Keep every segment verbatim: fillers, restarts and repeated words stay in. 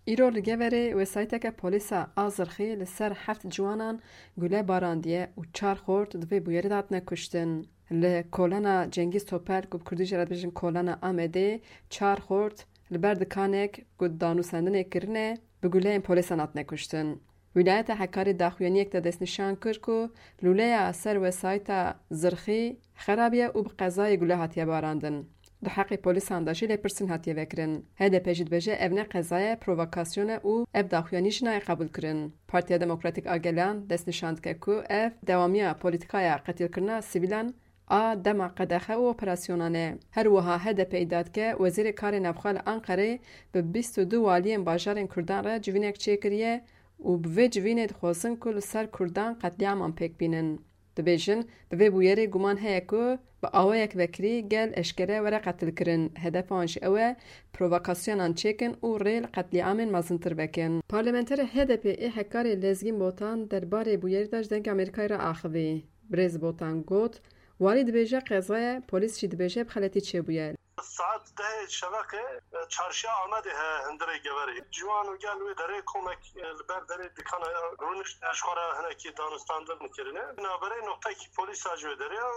Îro li Geverê wesayîteke polîsa a Zirxî li ser heft ciwanan gule barandiye û çar xort di vê bûyerê de hatine kuştin. Li kolana Cengiz Topel, ku bi kurdî jî re dibêjin kolana Amedê, çar xort li ber dikanek ku danûsendinê kirine, bi guleyên polîsan hatine kuştin. Wîlayeta Hekarê daxuyaniyek de destnîşan kir ku lûleya ser wesayîta Zirxî xerabiye û bi qezayê gule hatiye barandin. Di heqê polîsan de jî lêpirsîn hatiye vekirin. H D P jî dibêje ev ne qeza ye, provokasyon e û ev daxuyanî jî nayê qebûlkirin. Partiya Demokratîk a Gelan destnîşan dike ku ev dewamiya polîtîkaya qetilkirina sivîlan a dema qedexe û operasyonan e. Her wiha H D P îdia dike Wezîrê Karê Navxwe li Anqerê bi bîst û du waliyên bajarên Kurdan re civînek çêkiriye û bi vê civînê dixwazin ku li ser Kurdan qetlîaman pêk bînin. Dibêjin, bi vê bûyerê guman heye ku bi awayek vekirî gel eşkere were qetilkirin. Hedefa wan jî ew e, provokasyonan çêkin û rê li qetlîamên mezintir vekin. Parlamenterê H D P ê Hekarê Lezgîn Botan derbarê bûyerî de ji Dengê Amerîkayê re axivî. Birêz Botan got, Walî dibêje qeza ye, polîs jî dibêje bi xeletî çêbûye. Saet dehê şeveqê, e, çarşiya Amedê heye hundirê Geverê. Ciwan û gel wê derê komek, e, li ber derê dikana ya rûnişt, e, ji xwe re hinekî danûstandin kirine. Navberê noqtekî polîsa ji wê derê û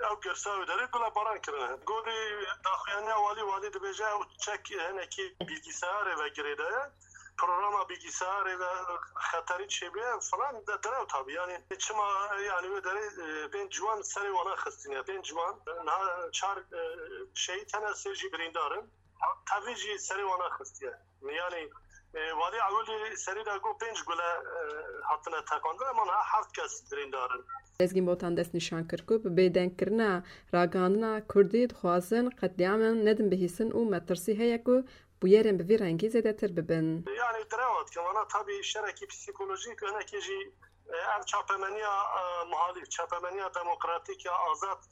ew girsa wê derê gule baran kirine. Gorî daxuyaniya walî, walî dibêje ew çek hinekî bilgisayarê ve girêdaye. Programa bilgisayarê ve xeterî çêbûye falan de direw tabî. Yani çima yani wê derê, e, pênc ciwan serê wana xistine. Pênc ciwan, e, niha çar, e, şehîd hene, sê jî birîndar in. Tevî jî serê wana xistiye. Yani, e, walî ewilî serî de got pênc gule, e, hatine teqandin, ama niha heft kes birîndar in. Lezgîn Botan dest nîşan kir ku bi bêdengkirina ragihandina Kurdî dixwazin qetlîaman nedin bihîstin û metirsî heye ku bûyerên bi vî rengî zêdetir bibin. Yani direwa dike, vana tabî şerekî psîkolojîk, hinekî jî, e, ev çapemeniya, e, muhalîf, çapemeniya demokratîk ya azad,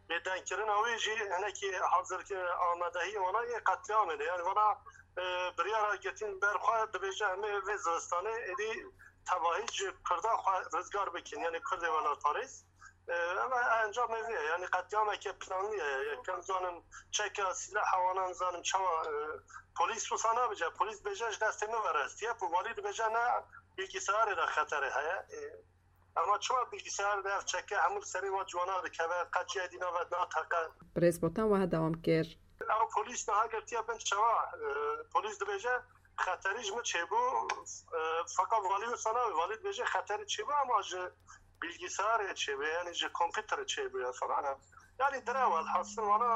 bêdengkirina wê jî hinekî hazirki amadehiyê wana yê qetlîamê de. Yani vana, e, biryara girtin ber xwe dibêje em ê vê zivistanê êdî tevahî ji Kurdan xwe rizgar bikin, yani Kurdê welatparêz. E, ama encamê vê ye, yani qetlîameke planlî ye. Yekem zanim çeka sîleha wana, nizanim çawa, e, polîs wisa nabêje. Polîs dibêje ji destê min ve restiye, ku walî dibêje ne, bilgisayarê de xeterê heye. E, ama çima bilgisayar de ev çeke hemû li serê wa ciwana dikeve, qet cihê dîna ve nateqe? Birêz Botan wiha dewam kir. Ew polîs niha girtiye bin çawa? E, polîs dibêje, xeterî ji min çêbû, e, feqet valî wisa nabê. Valî dibêje xeterî çêbû, ama ji bilgisayarê çêbû, yani ji kompîterê çêbû ya falan. Yani direw, welhasil vana,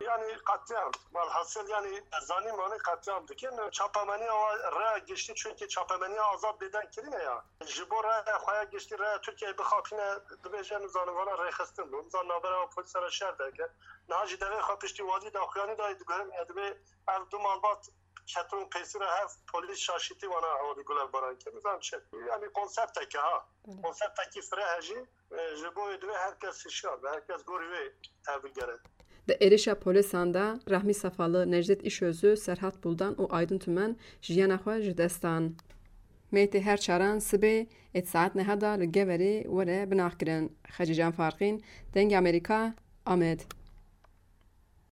yani qetlîam. Welhasil yani zanî manî qetlîam dikin. Çapemeniya wa raya giştî, çünkü çapemeniya azad bêdeng kirine ya. Ji bo raya xwe ya giştî, raya Tirkiyeyê bixapîne, dibêje nizanim vana rêxistin bû. Nizanim navbera wa polîsa re şer derket. Niha jî devê xwe piştî walî daxuyanî dayî, diguherim ya divê ev du malbat ketin pêsîra hev polîs şaşîtî wana hewlî guler baran kir. Nizam çi? Yani konsepteke ha. Öyle. Konseptekî fireh e jî, e, ji bo wê divê her kes hişyar be, her kes gorî wê tevbigere. Di êrişa polîsan de Rahmî Sefalı, Necdet İşözü, Serhat Buldan û Aydın Tümen jiyana xwe ji dest dan. Mêtê her çaran sibê êt saet neha da li Geverê were binaxkirin. Xecîcan Farqîn, Dengê Amerîka, Amed.